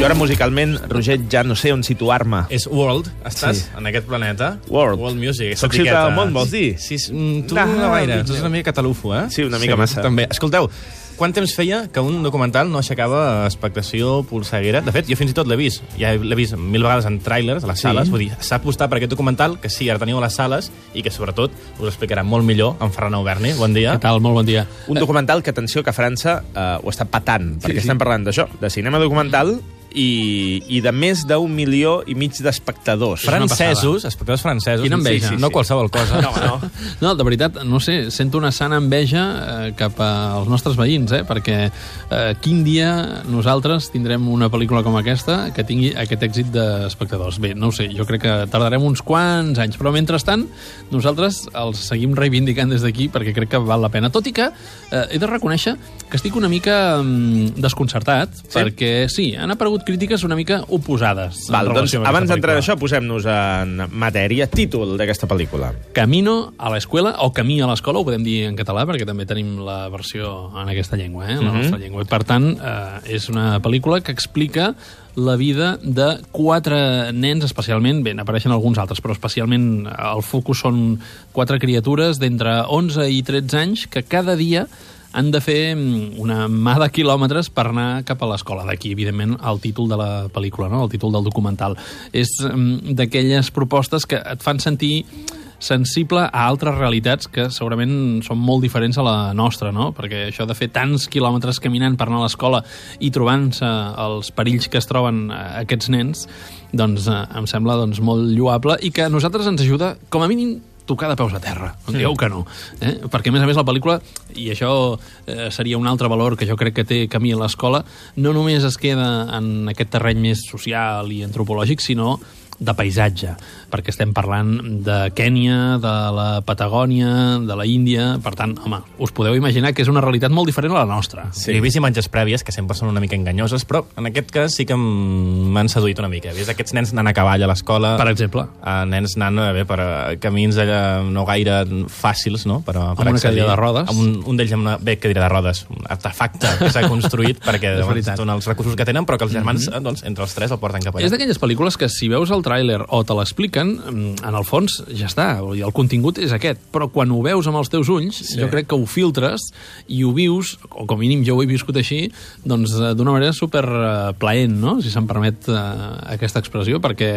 ara musicalment, Roger, ja no sé on situar-me. És World, estàs en aquest planeta. World Music. Soc ciutat del món, vols dir? Sí, tu no gaire, tu ets una mica catalufo, eh? Sí, una mica massa. També. Escolteu, quant temps feia que un documental no aixecava expectació polseguera? De fet, jo fins i tot l'he vist. Ja l'he vist 1000 vegades en tràilers, a les sales. Vull dir, s'ha apostat per aquest documental, que sí, ara teniu a les sales, i que sobretot us explicarà molt millor en Ferran Auberni. Bon dia. Què tal? Molt bon dia. Un documental que, atenció, que a França ho està patant, perquè estem parlant d'això, de cinema documental i de més d'1,5 milió d'espectadors. Francesos, espectadors francesos. Quina enveja. No qualsevol cosa. No, de veritat, no sé, sento una sana enveja cap als nostres veïns, perquè quin dia nosaltres tindrem una pel·lícula com aquesta que tingui aquest èxit d'espectadors. Bé, no ho sé, jo crec que tardarem uns quants anys, però mentrestant nosaltres els seguim reivindicant des d'aquí perquè crec que val la pena. Tot i que he de reconèixer que estic una mica desconcertat, perquè sí, han aparegut crítiques una mica oposades. Val, doncs abans d'entrar en això, posem-nos en matèria. Títol d'aquesta pel·lícula. Camino a l'escola, o Camí a l'escola, ho podem dir en català, perquè també tenim la versió en aquesta llengua, la nostra llengua. I per tant, és una pel·lícula que explica la vida de 4 nens, especialment, bé, n'apareixen alguns altres, però especialment el focus són 4 criatures d'entre 11 i 13 anys que cada dia han de fer una mà de quilòmetres per anar cap a l'escola. D'aquí, evidentment, el títol de la pel·lícula, no? El títol del documental. És d'aquelles propostes que et fan sentir sensible a altres realitats que segurament són molt diferents a la nostra, no? Perquè això de fer tants quilòmetres caminant per anar a l'escola i trobant-se els perills que es troben aquests nens, doncs em sembla molt lloable i que a nosaltres ens ajuda, com a mínim, tocar de peus a terra, dieu que no. Perquè, a més, la pel·lícula, i això seria un altre valor que jo crec que té Camí a l'escola, no només es queda en aquest terreny més social i antropològic, sinó de paisatge, perquè estem parlant de Kènia, de la Patagònia, de la Índia. Per tant, home, us podeu imaginar que és una realitat molt diferent a la nostra. Sí. He vist imatges prèvies que sempre són una mica enganyoses, però en aquest cas sí que m'han seduït una mica. He vist aquests nens anant a cavall a l'escola. Per exemple. Nens anant per camins allà no gaire fàcils, no? Per amb una cadira de rodes. Un d'ells amb una cadira de rodes, un artefacte que s'ha construït perquè són els recursos que tenen, però que els germans, entre els 3, el porten cap allà. És d'aquelles pel·lícules que si veus el tràiler o te l'expliquen, en el fons ja està, el contingut és aquest, però quan ho veus amb els teus ulls, jo crec que ho filtres i ho vius, o com a mínim jo ho he viscut així, doncs d'una manera superplaent, no? Si se'm permet aquesta expressió, perquè,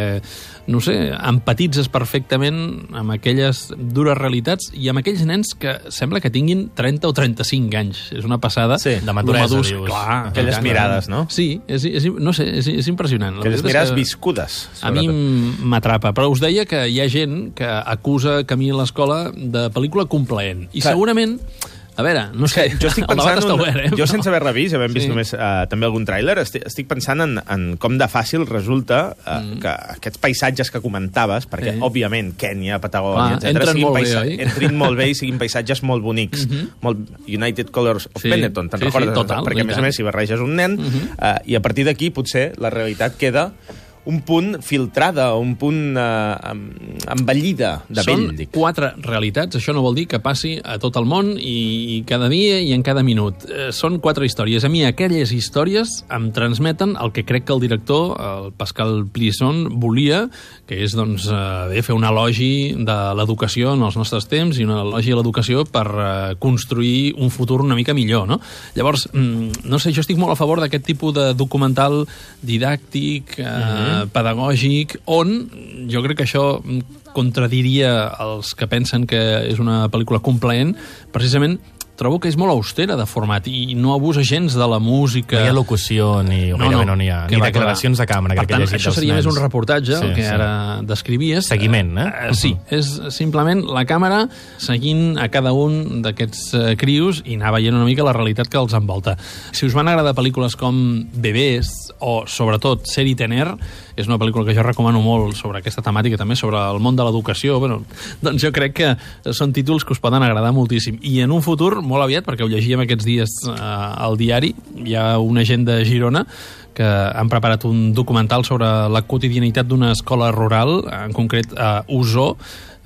no sé, empatitzes perfectament amb aquelles dures realitats i amb aquells nens que sembla que tinguin 30 o 35 anys. És una passada. Sí, de maduresa, dius. Clar, aquelles mirades, no? Sí, no sé, és impressionant. Aquelles mirades viscudes. A mi m'atrapa, però us deia que hi ha gent que acusa Camí a l'escola de pel·lícula complaent. I segurament, a veure, no sé, jo estic pensant, jo sense haver revist, havent vist només també algun tràiler, estic pensant en com de fàcil resulta que aquests paisatges que comentaves, perquè, òbviament, Kènia, Patagònia, entrin molt bé i siguin paisatges molt bonics. Molt United Colors of Benetton, te'n recordes? Perquè, a més, si barreges un nen, i a partir d'aquí, potser, la realitat queda un punt filtrada, un punt envellida de vell. Són 4 realitats, això no vol dir que passi a tot el món i cada dia i en cada minut. Són 4 històries. A mi aquelles històries em transmeten el que crec que el director, el Pascal Plisson, volia, que és fer un elogi de l'educació en els nostres temps i un elogi a l'educació per construir un futur una mica millor, no? Llavors, no sé, jo estic molt a favor d'aquest tipus de documental didàctic, pedagògic, on jo crec que això contradiria els que pensen que és una pel·lícula complaent. Precisament trobo que és molt austera de format i no abusa gens de la música. No hi ha locució, ni declaracions de càmera. Per tant, això seria més un reportatge, el que ara descrivies. Seguiment, Sí, és simplement la càmera seguint a cada un d'aquests crios i anar veient una mica la realitat que els envolta. Si us van agradar pel·lícules com Bebès o, sobretot, Ser i Tener, és una pel·lícula que jo recomano molt sobre aquesta temàtica, també sobre el món de l'educació, doncs jo crec que són títols que us poden agradar moltíssim. I en un futur, molt aviat, perquè ho llegíem aquests dies al diari, hi ha una gent de Girona que han preparat un documental sobre la quotidianitat d'una escola rural, en concret a Osó,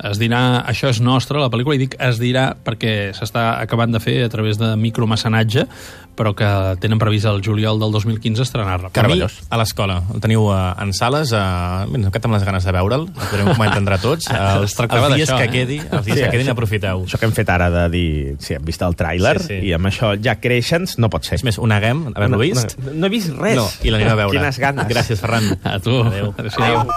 es dirà Això és nostre, la pel·lícula, i dic es dirà perquè s'està acabant de fer a través de micromecenatge, però que tenen previst el juliol del 2015 estrenar-la. Camí a l'escola. El teniu en sales, no quedem les ganes de veure'l, el podrem comentar entre tots. Els dies que quedin, aprofiteu. Això que hem fet ara de dir, sí, hem vist el tràiler, i amb això ja creixens, no pot ser. És més, ho neguem, haver-lo vist. No he vist res. No, i l'anirem a veure. Quines ganes. Gràcies, Ferran. A tu. Adéu. Adéu.